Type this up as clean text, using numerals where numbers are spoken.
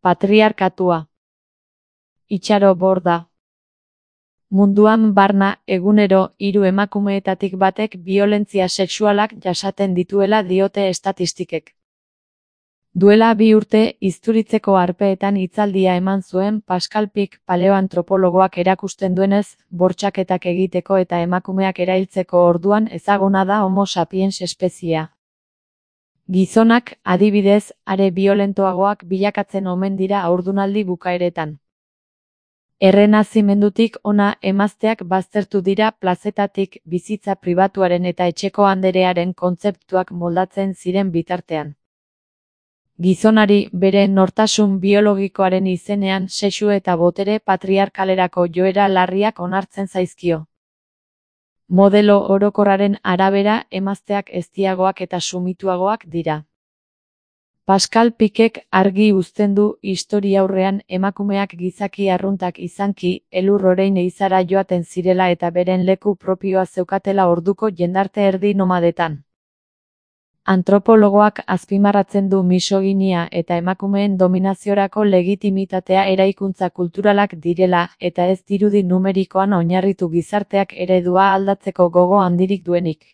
Patriarkatua. Itxaro Borda. Munduan barna, egunero, 3 emakumeetatik batek biolentzia sexualak jasaten dituela diote estatistikek. Duela 2 urte, Izturitzeko Harpeetan hitzaldia eman zuen Pascal Pic paleoantropologoak erakusten duenez, bortxaketak egiteko eta emakumeak erailtzeko orduan ezaguna da Homo sapiens espeziea. Gizonak, adibidez, are biolentoagoak bilakatzen omen dira haurdunaldi bukaeretan. Errenazimendutik hona emazteak baztertu dira plazetatik bizitza pribatuaren eta etxeko anderearen kontzeptuak moldatzen ziren bitartean. Gizonari, bere nortasun biologikoaren izenean sexu eta botere patriarkalerako joera larriak onartzen zaizkio. Modelo orokorraren arabera, emazteak eztiagoak eta sumituagoak dira. Pascal Picek argi uzten du historiaurrean emakumeak gizaki arruntak izanki, elur orein eizara joaten zirela eta beren leku propioa zeukatela orduko jendarte erdi nomadetan. Antropologoak azpimarratzen du misoginia eta emakumeen dominaziorako legitimitatea eraikuntza kulturalak direla eta ez dirudi numerikoan oinarritu gizarteak eredua aldatzeko gogo handirik duenik.